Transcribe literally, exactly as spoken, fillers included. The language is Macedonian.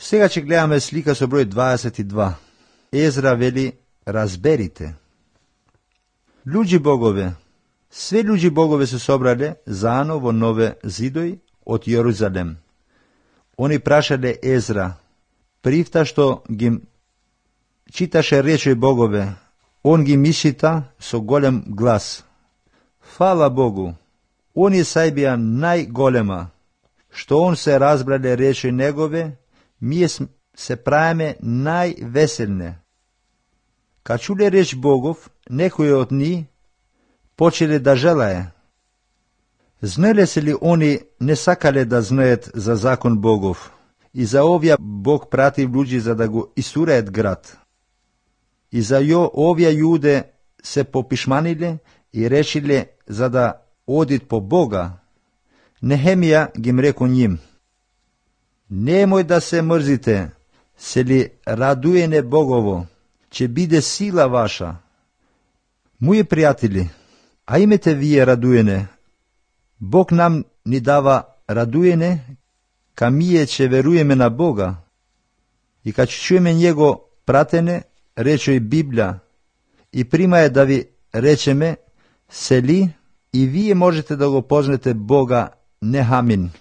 Сега ќе гледаме слика со број дваесет и два. Езра вели: разберите. Луѓи богове. Све луѓи богове се собрале заано во нове зидој од Јерусалем. Они прашале Езра, привта што ги читаше речој богове, он ги мишита со голем глас. Фала Богу, они сај бија најголема, што он се разбрале речој негове, ние се правиме највеселне. Ка чуле реч Богов, некои од ни почеле да желае. Знаеле се ли они не сакале да знаат за закон Богов и за овие Бог прати луѓи за да го исуреат град. И за ја овие јуде се попишманиле и решиле за да одит по Бога. Нехемија ги рекол ним: немој да се мрзите, се ли радуене Богово, ќе биде сила ваша. Мои пријатели, а имете вие радуене. Бог нам ни дава радуене, ка мие ќе веруеме на Бога. И ка ќе чуеме Него пратене, речој Библија, и примае да ви речеме, сели, и вие можете да го познете Бога, не хамин.